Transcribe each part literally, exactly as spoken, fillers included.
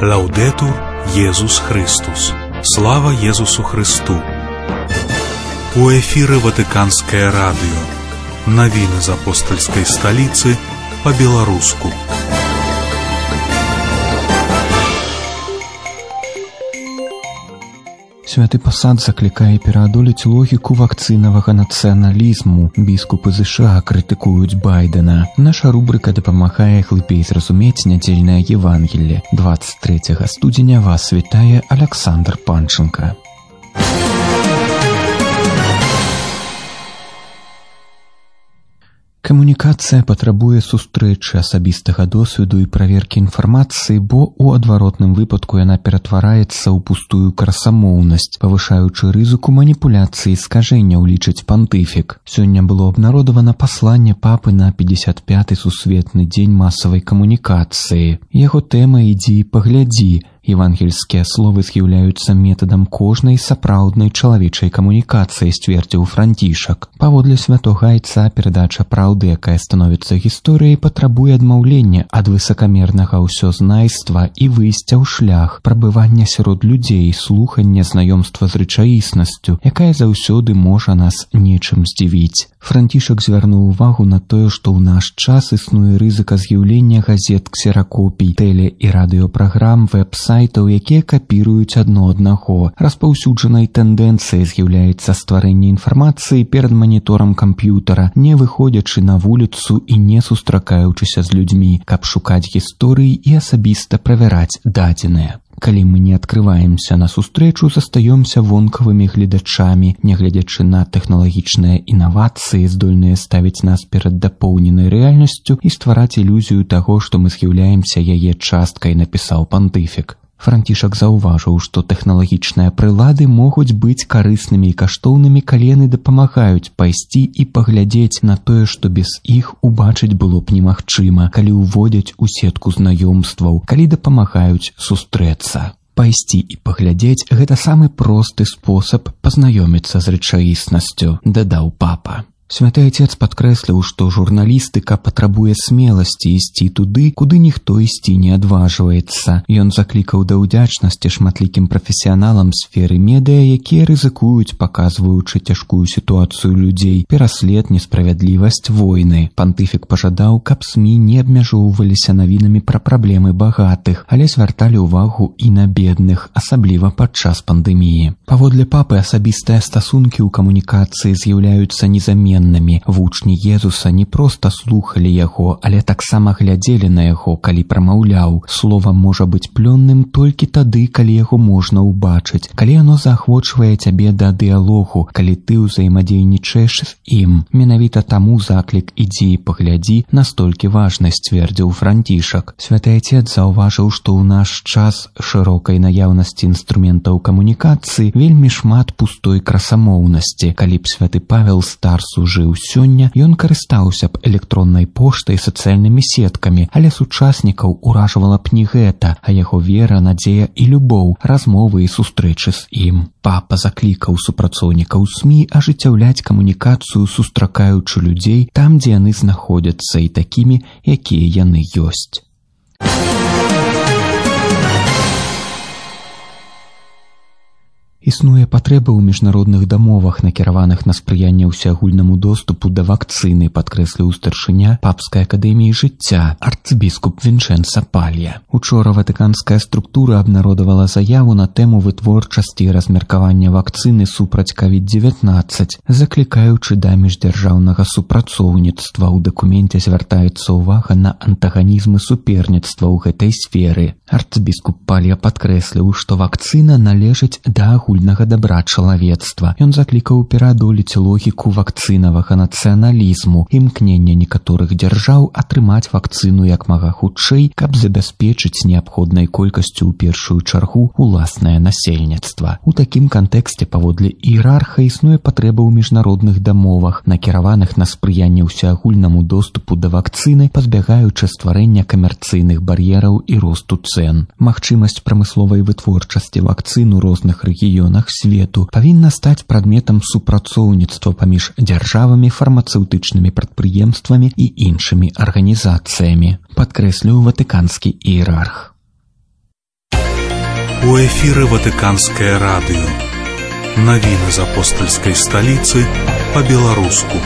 Лаўдетур Езус Христус. Слава Езусу Христу. У эфіры Ватыканскае радыё. Навіны з апостальскай сталіцы па-беларуску. Святы пасад заклікае пераадолець логіку вакцынавага нацыяналізму. Біскупы ЗША крытыкуюць Байдена. Наша рубрыка дапамагае глыбей зразумець нядзельнае Евангелле. двадцать трэцяга студзеня вас вітае Аляксандр Панченка. Камунікацыя патрабуе сустрэчы, асабістага досведу і праверкі інфармацыі, бо ў адваротным выпадку яна ператвараецца ў пустую красамоўнасць, павышаючы рызыку маніпуляцыі і скажэнняў, лічыць пантыфік. Сёння было абнародавана пасланне папы на пятьдесят пяты сусветны дзень масавай камунікацыі. Яго тэма «Ідзі і паглядзі». Евангельскія словы з'яўляюцца метадам кожнай сапраўднай чалавечай камунікацыі, сцвердзіў Францішак. Паводле святога айца перадача праўды, якая становіцца гісторыяй, патрабуе адмаўлення ад высакамернага ўсёзнайства і выйсця ў шлях, прабывання сярод людзей, слухання знаёмства з рэчаіснасцю, якая заўсёды можа нас нечым здзівіць. Францішак звярнуў увагу на тое, што ў наш час існуе рызыка з'яўлення газет, ксеракопій, тэле- і радыёпраграм, вэб-сайтаў, якія капіруюць адно аднаго. Распаўсюджанай тэндэнцыяй з'яўляецца стварэнне інфармацыі перад маніторам камп'ютара, не выходзячы на вуліцу і не сустракаючыся з людзьмі, каб шукаць гісторыі і асабіста правяраць дадзеныя. Калі мы не адкрываемся на сустрэчу, застаёмся вонкавымі гледачамі, нягледзячы на тэхналагічныя інавацыі, здольныя ставіць нас перад дапоўненай рэальнасцю і ствараць ілюзію таго, што мы з'яўляемся яе часткай, напісаў пантыфік. Францішак заўважыў, што тэхналагічныя прылады могуць быць карыснымі і каштоўнымі, калі яны дапамагаюць пайсці і паглядзець на тое, што без іх убачыць было б немагчыма, калі ўводзяць у сетку знаёмстваў, калі дапамагаюць сустрэцца. Пайсці і паглядзець – гэта самы просты спосаб пазнаёміцца з рэчаіснасцю, дадаў папа. Святы Отец падкрэсліў, што журналістыка патрабуе смеласці ісці туды, куды ніхто ісці не адважваецца. Ён заклікаў да ўдзячнасці шматлікім прафесіяналам сферы медыа, якія рызыкуюць, паказваючы цяжкую сітуацыю людзей, пераслед, несправядлівасць, войны. Пантыфік пажадаў, каб СМІ не абмяжоўваліся навінамі пра праблемы багатых, але звярталі ўвагу і на бедных, асабліва падчас пандэміі. Паводле папы, асабістыя стасункі ў камунікацыі з'яўляюцца незаменнымі. Вучні Езуса не проста слухалі яго, але таксама глядзелі на яго, калі прамаўляў. Слова можа быць плённым толькі тады, калі яго можна ўбачыць, калі яно заахвочвае цябе да дыялогу, калі ты ўзаемадзейнічаеш з ім. Менавіта таму заклік «Ідзі і паглядзі» настолькі важны, сцвердзіў Францішак. Святы Отец заўважыў, што ў наш час шырокай наяўнасці інструментаў камунікацыі вельмі шмат пустой красамоўнасці. Калі б святы Павел Старсу жыў сёння, ён карыстаўся б электроннай поштай, сацыяльнымі сеткамі, але сучаснікаў уражвала б не гэта, а яго вера, надзея і любоў, размовы і сустрэчы з ім. Папа заклікаў супрацоўнікаў СМІ ажыццяўляць камунікацыю, сустракаючы людзей там, дзе яны знаходзяцца, і такімі, якія яны ёсць. Існуе патрэба ў міжнародных дамовах, накіраваных на спрыянне ўсеагульнаму доступу да вакцыны, падкрэсліў старшыня Папскай акадэміі жыцця, арцбіскуп Вінчэнца Палья. Учора ватыканская структура абнародавала заяву на тэму вытворчасці і размеркавання вакцыны супраць ковід дзевятнаццаць, заклікаючы да міждзяржаўнага супрацоўніцтва. У дакуменце звяртаецца ўвага на антаганізм і суперніцтва ў гэтай сферы. Арцбіскуп Палья падкрэсліў, што вакцына належыць да агульнага дабра чалавецтва. Ён заклікаў пераадолець логіку вакцынавага нацыяналізму, імкнення некаторых дзяржаў атрымаць вакцыну як мага хутчэй, каб забяспечыць неабходнай колькасцю ў першую чаргу уласнае насельніцтва. У такім кантэксце, паводле іерарха, існуе патрэба ў міжнародных дамовах, накіраваных на спрыянне ўсеагульнаму доступу да вакцыны, пазбягаючы стварэння камерцыйных бар'ераў і росту цэн. Магчымасць прамысловай вытворчасці вакцын у розных рэгіёнах свету павінна стаць прадметам супрацоўніцтва паміж дзяржавамі, фармацэўтычнымі прадпрыемствамі і іншымі арганізацыямі, падкрэсліў ватыканскі іерарх. У эфіры Ватыканскае радыё. Навіны з апостальскай сталіцы па-беларуску.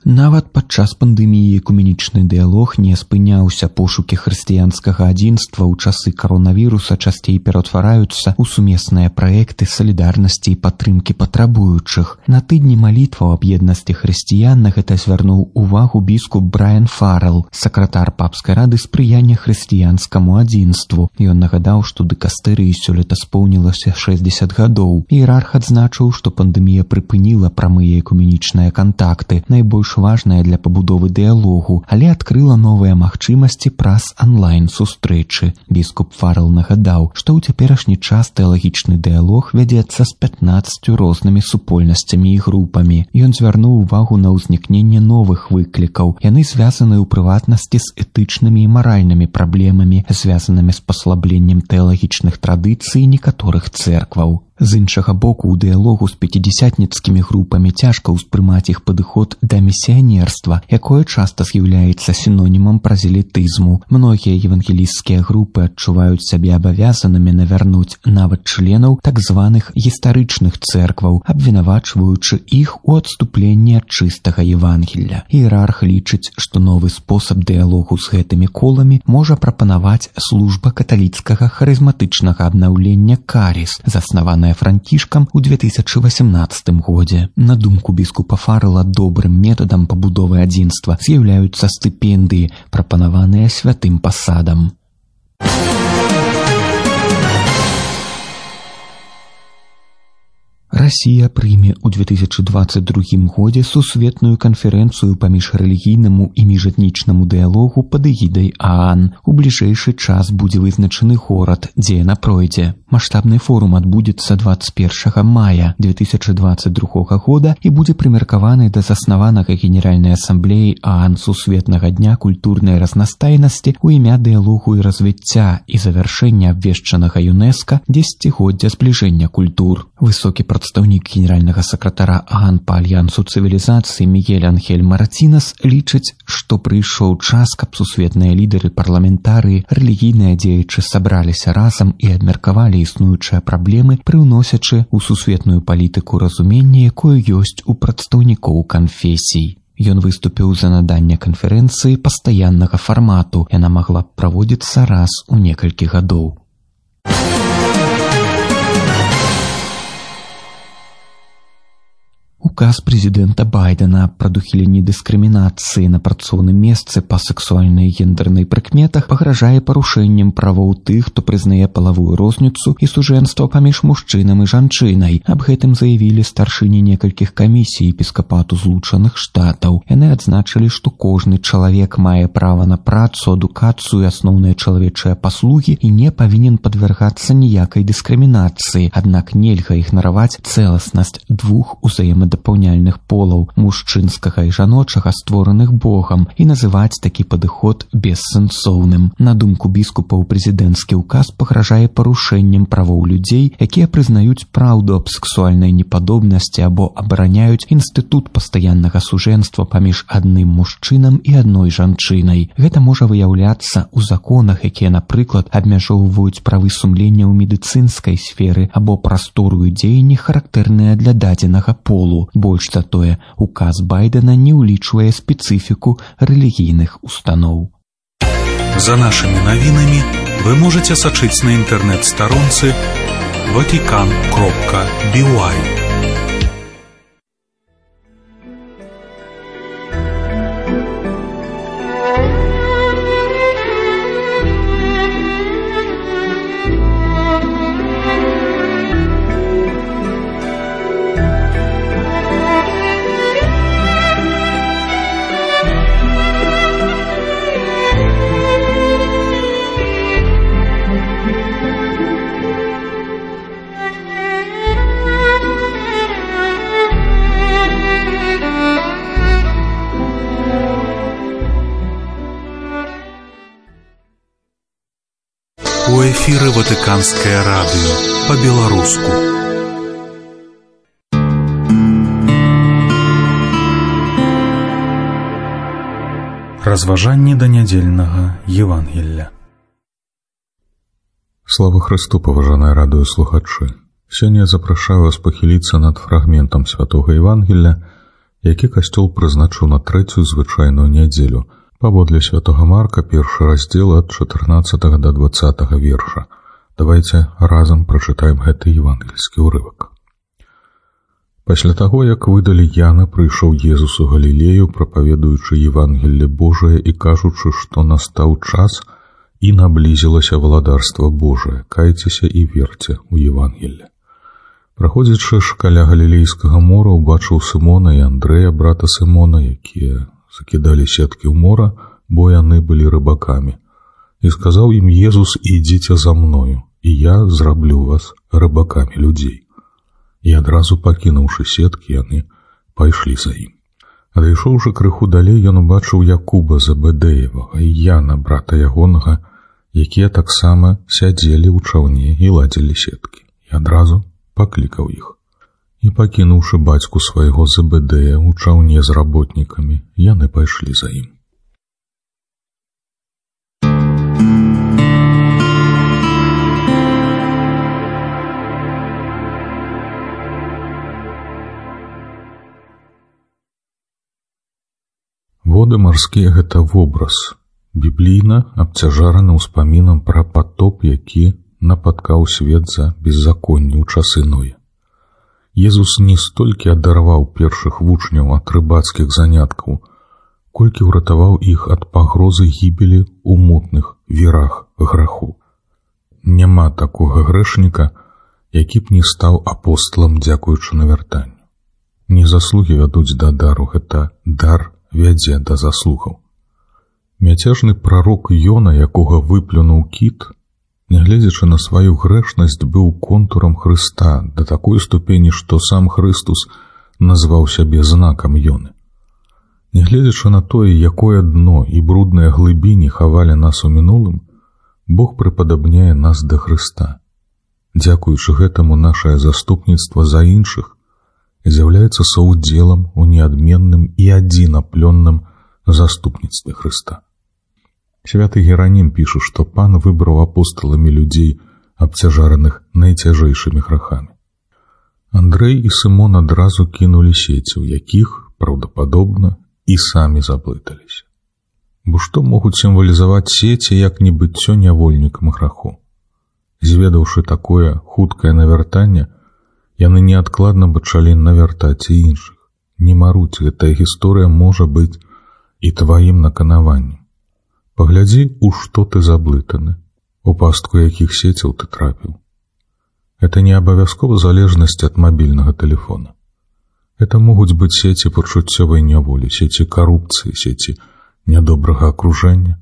Нават падчас пандэміі экуменічны дыялог не спыняўся. Пошукі хрысціянскага адзінства ў часы каронавіруса часцей ператвараюцца ў сумесныя праекты салідарнасці і падтрымкі патрабуючых. На тыдні малітваў аб еднасці хрысціян на гэта звярнуў увагу біскуп Брайан Фаррелл, сакратар папскай рады спрыяння хрысціянскаму адзінству. Ён нагадаў, што дыкастэрыі сёлета споўнілася шэсцьдзесят гадоў. Іерарх адзначыў, што пандэмія прыпыніла прамыя экуменічныя кантакты, найбольш важная для пабудовы дыялогу, але адкрыла новыя магчымасці праз онлайн-сустрэчы. Біскуп Фаррелл нагадаў, што ў цяперашні час тэалагічны дыялог вядзецца з пятнаццаццю рознымі супольнасцямі і групамі. Ён звярнуў увагу на ўзнікненне новых выклікаў. Яны звязаны ў прыватнасці з этычнымі і маральнымі праблемамі, звязанымі з паслабленнем тэалагічных традыцый некаторых цэркваў. З іншага боку, у дыялогу з пяцідзясятніцкімі групамі цяжка ўспрымаць іх падыход да місіянерства, якое часта з'яўляецца сінонімам празелітызму. Многія евангелісцкія групы адчуваюць сябе абавязанымі навярнуць нават членаў так званых гістарычных цэркваў, абвінавачваючы іх у адступленні ад чыстага Евангелля. Іерарх лічыць, што новы спосаб дыялогу з гэтымі коламі можа прапанаваць служба каталіцкага харызматычнага абнаўлення «Каріс», заснаваная Францішкам у две тысячы васямнаццатым годзе. На думку біскупа Фаррелла, добрым метадам пабудовы адзінства з'яўляюцца стыпендыі, прапанаваныя святым пасадам. Расія прыме ў две тысячы дваццаць другім годзе сусветную канферэнцыю паміж рэлігійнаму і міжэтнічнаму дыялогу пад эгідай ААН. У бліжэйшы час будзе вызначаны горад, дзе яна пройдзе. Маштабны форум адбудзецца дваццаць першага мая две тысячы дваццаць другога года і будзе прымеркаваны да заснаванага Генеральнай асамблеі ААН Сусветнага дня культурнай разнастайнасці ў імя дыялогу і развіцця і завяршэння абвешчанага ЮНЕСКО дзесяцігоддзя збліжэння культур. Высокі прадстаўнік генеральнага сакратара ААН па альянсу цывілізацыі Мігель Анхель Маратинес лічыць, што прыйшоў час, каб сусветныя лідары, парламентарыі, рэлігійныя дзеячы сабраліся разам і абмеркавалі існуючыя праблемы, прыўносячы ў сусветную палітыку разуменне, якое ёсць у прадстаўнікоў канфесій. Ён выступіў за наданне канферэнцыі пастаяннага фармату. Яна магла б праводзіцца раз у некалькі гадоў. Указ прэзідэнта Байдена аб прадухіленні дыскрымінацыі на працоўным месцы па сексуальнай і гендернай прыкметах пагражае парушэннем правоў тых, хто прызнае палавую розніцу і сужэнства паміж мужчынам і жанчынай. Аб гэтым заявілі старшыні некалькіх камісій епіскапату Злучаных Штатаў. Яны адзначылі, што кожны чалавек мае права на працу, адукацыю і асноўныя чалавечыя паслугі і не павінен падвяргацца ніякай дыскрымінацыі. Аднак нельга ігнараваць цэласнасць двух узаемадапаўняльных дапаўняльных полаў, мужчынскага і жаночага, створаных Богам, і называць такі падыход бессэнсоўным. На думку біскупаў, прэзідэнцкі ўказ пагражае парушэннем правоў людзей, якія прызнаюць праўду аб сексуальнай непадобнасці або абараняюць інстытут пастаяннага сужэнства паміж адным мужчынам і адной жанчынай. Гэта можа выяўляцца ў законах, якія, напрыклад, абмяжоўваюць правы сумлення ў медыцынскай сферы або прастору дзеянні, характэрныя для дадзенага полу. Больш за тое, указ Байдена не ўлічвае спецыфіку рэлігійных устаноў. За нашымі навінамі вы можаце сачыць на інтэрнэт-старонцы ватикан кропка би уай. У эфіры Ватыканскае радыё па-беларуску. Разважанні да нядзельнага Евангелля. Слава Христу, паважаныя радыёслухачы! Сёння я запрашаю вас пахіліцца над фрагментам святога Евангелля, які касцёл прызначыў на трэцюю звычайную нядзелю, паводле святога Марка, першы раздзел ад чатырнаццатага да дваццатага верша. Давайце разам прачытаем гэты евангельскі ўрывак. Пасля таго, як выдалі Яна, прыйшоў Езус у Галілею, прапаведуючы Евангелле Божае і кажучы, што настаў час і наблізілася валадарства Божае, кайцеся і верце ў Евангелле. Праходзячы ж каля Галілейскага мора, убачыў Сымона і Андрэя, брата Сымона, якія закідалі сеткі ў мора, бо яны былі рыбакамі. І сказаў ім Езус: «Ідзіце за мною, і я зраблю вас рыбакамі людзей». І адразу пакінуўшы сеткі, яны пайшлі за ім. Адышоўшы крыху далей, ён убачыў Якуба Забэдэевага і Яна, брата ягонага, якія таксама сядзелі ў чаўне і ладзілі сеткі. І адразу паклікаў іх. І пакінуўшы бацьку свайго Забэдэя ў чаўне з работнікамі, яны пайшлі за ім. Воды марскія — гэта вобраз, біблійна абцяжараны ўспамінам пра патоп, які напаткаў свет за беззаконне ў часы Ноя. Езус не столькі адарваў першых вучняў ад рыбацкіх заняткаў, колькі ўратаваў іх ад пагрозы гібелі ў мутных вірах граху. Няма такога грэшніка, які б не стаў апосталам дзякуючы навяртанню. Не заслугі вядуць да дару, гэта дар вядзе да заслугаў. Мяцежны прарок Ёна, якога выплюнуў кіт, нягледзячы на сваю грэшнасць, быў контурам Хрыста да такой ступені, што сам Хрыстус назваў сябе знакам Ёны. Нягледзячы на тое, якое дно і брудныя глыбіні хавалі нас у мінулым, Бог прыпадабняе нас да Хрыста. Дзякуючы гэтаму нашае заступніцтва за іншых з'яўляецца саўдзелам у неадменным і адзінаплённым заступніцтве Хрыста. Святы Геранім піша, што Пан выбраў апосталамі людзей, абцяжараных найцяжэйшымі грахамі. Андрэй і Сымон адразу кінулі сеці, у якіх, праўдападобна, і самі заблыталіся. Бо што могуць сімвалізаваць сеці, як не быццё нявольнікам граху? Зведаўшы такое хуткае навяртанне, яны неадкладна пачалі навяртаць і іншых. Не маруць, гэтая гісторыя можа быць і тваім наканаваннем. Паглядзі, у што ты заблытаны, у пастку якіх сеціў ты трапіў. Это не абавязкова залежнасць ад мабільнага тэлефона. Это могуць быць сеці пачуццёвай няволі, сеці карупцыі, сеці нядобрага акружэння,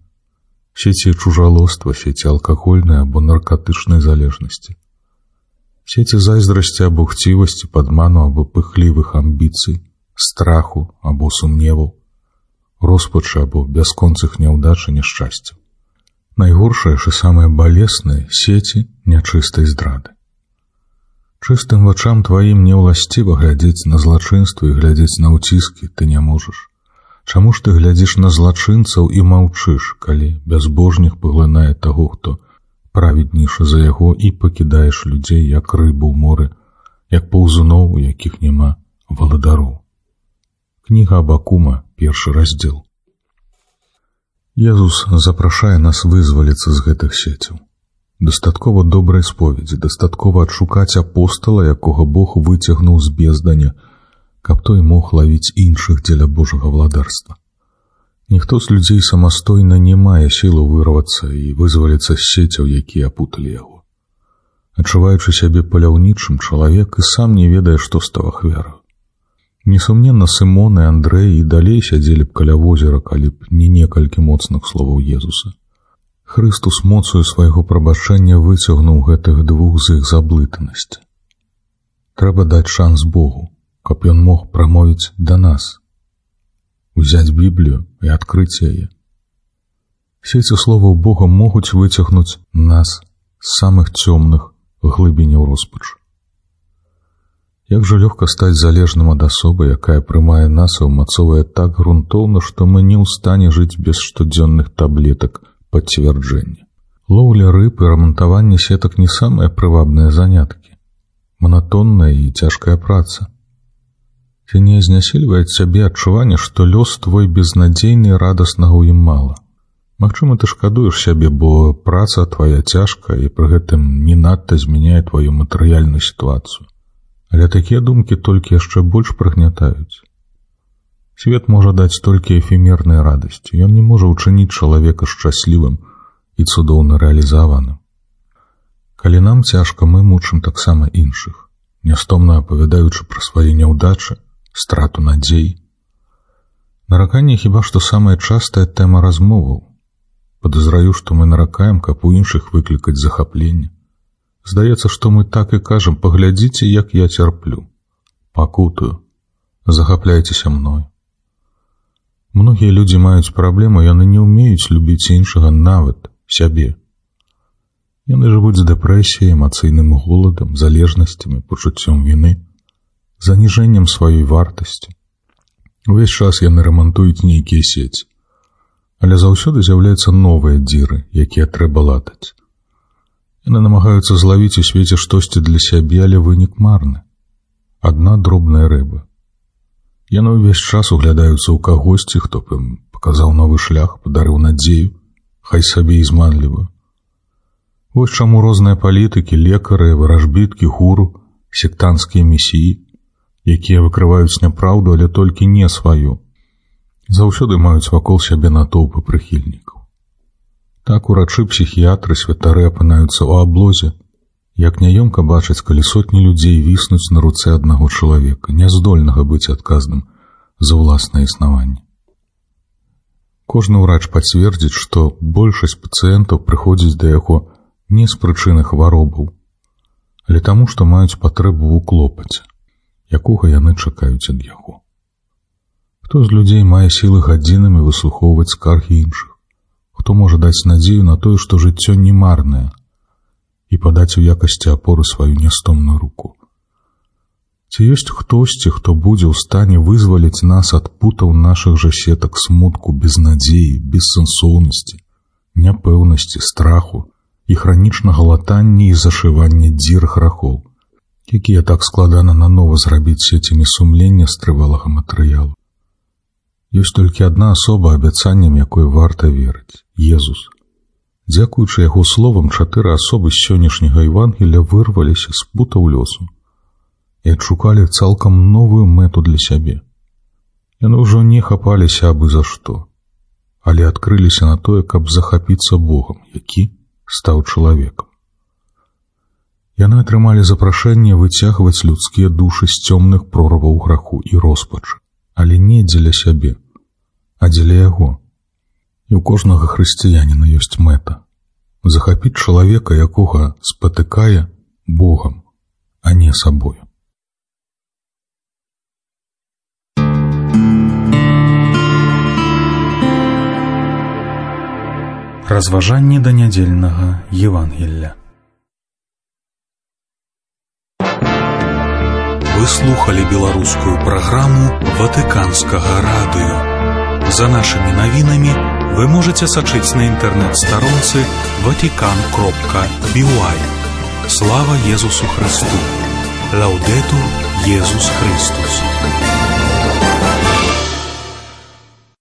сеці чужалоства, сеці алкагольнай або наркатычнай залежнасці, сеці зайздрасці або хцівасці, падману або пыхлівых амбіцый, страху або сумневаў, роспачы або бясконцых няўдач і няшчасцяў. Найгоршае ж і самае балеснае — сеці нячыстай здрады. Чыстым вачам тваім неўласціва глядзець на злачынства і глядзець на ўціскі ты не можаш. Чаму ж ты глядзіш на злачынцаў і маўчыш, калі бязбожнік паглынае таго, хто праведніша за яго, і пакідаеш людзей, як рыбу ў моры, як паўзуноў, у якіх няма валадароў. Кніга Абакума, першы раздзел. Езус запрашае нас вызваліцца з гэтых сеціў. Дастаткова добрай споведзі, дастаткова адшукаць апостала, якога Бог выцягнуў з безданя, каб той мог лавіць іншых дзеля Божага владарства. Ніхто з людзей самастойна не мае сілу вырвацца і вызваліцца з сеціў, якія апуталі яго. Адчуваючы сябе паляўнічым, чалавек і сам не ведае, што стаў ахвяраю. Несумненна, Сымон і Андрэй і далей сядзелі б каля возера, калі б не некалькі моцных словаў Езуса. Хрыстус моцаю свайго прабачэння выцягнуў гэтых двух з іх заблытанасці. Трэба даць шанс Богу, каб ён мог прамовіць да нас, узяць Біблію і адкрыць яе. Сеці словаў Бога могуць выцягнуць нас з самых цёмных глыбіняў роспачы. Як жа лёгка стаць залежным ад асобы, якая прымае нас і ўмацоўвае так грунтоўна, што мы не ў стане жыць без штодзённых таблетак пацвярджэння. Лоўля рыб і рамантаванне сетак не самыя прывабныя заняткі. Манатонная і цяжкая праца. Ці не знясільвае цябе адчуванне, што лёс твой безнадзейны і радаснага ў ім мала. Магчыма, ты шкадуеш сябе, бо праца твая цяжкая і пры гэтым не надта змяняе тваю матэрыяльную сітуацыю. Але такія думкі толькі яшчэ больш прыгнятаюць. Свет можа даць толькі эфемерныя радасці. Ён не можа ўчыніць чалавека шчаслівым і цудоўна рэалізаваным. Калі нам цяжка, мы мучым таксама іншых, нястомна апавядаючы пра свае няўдачы, страту надзей. Нараканне хіба што самая частая тэма размоваў. Падазраю, што мы наракаем, каб у іншых выклікаць захапленне. Здаецца, што мы так і кажам: паглядзіце, як я цярплю, пакутаю, захапляйцеся мною. Многія людзі маюць праблему, яны не ўмеюць любіць іншага, нават сябе. Яны жывуць з дэпрэсіяй, эмацыйным голадам, залежнасцямі, пачуццём віны, заніжэннем сваёй вартасці. Увесь час яны рамантуюць нейкія сеці. Але заўсёды з'яўляюцца новыя дзіры, якія трэба латаць. Яны намагаюцца злавіць у свеце штосьці для сябе, але вынік марны. Адна дробная рыба. Яны ўвесь час углядаюцца ў кагосьці, хто б ім паказаў новы шлях, падарыў надзею, хай сабе і зманлівую. Вось чаму розныя палітыкі, лекары, варажбіткі, гуру, сектанцкія месіі, якія выкрываюць няпраўду, але толькі не сваю, заўсёды маюць вакол сябе натоўпы прыхільнікаў. Так урачы, псіхіятры, святары апынаюцца ў аблозе. Як няёмка бачыць, калі сотні людзей віснуць на руцэ аднаго чалавека, няздольнага быць адказным за ўласнае існаванне. Кожны ўрач пацвердзіць, што большасць пацыентаў прыходзіць да яго не з прычыны хваробаў, але таму, што маюць патрэбу ў клопаце, якога яны чакаюць ад яго. Хто з людзей мае сілы гадзінамі выслухоўваць скаргі іншых? Хто можа даць надзею на тое, што жыццё не марнае, і падаць у якасці апоры сваю нястомную руку? Ці ёсць хтосьці, хто будзе ў стане вызваліць нас ад путаў нашых жа сетак смутку, безнадзеі, бессэнсоўнасці, няпэўнасці, страху і хранічнага латання і зашывання дзір грахоў, якія так складана нанова зрабіць сецямі сумлення з трывалага матэрыялу? Ёсць толькі адна асоба, абяцаннем якой варта верыць — Езус. Дзякуючы яго словам, чатыры асобы з сённяшняга Евангелія вырваліся з путаў лёсу і адшукалі цалкам новую мэту для сябе. Яны ўжо не хапаліся абы за што, але адкрыліся на тое, каб захапіцца Богам, які стаў чалавекам. Яны атрымалі запрашэнне выцягваць людскія душы з цёмных прорваў граху і роспачы, але не дзеля сябе, а дзеля яго. І ў кожнага хрысціяніна ёсць мэта — захапіць чалавека, якога спатыкае, Богам, а не сабою. Разважанні да нядзельнага Евангелля. Вы слухали беларускую праграму Ватыканскага радыё. За нашымі навінамі вы можаце сачыць на інтэрнэт-старонцы ватикан кропка би уай. Слава Езусу Христу! Лаўдэтур Езус Христус!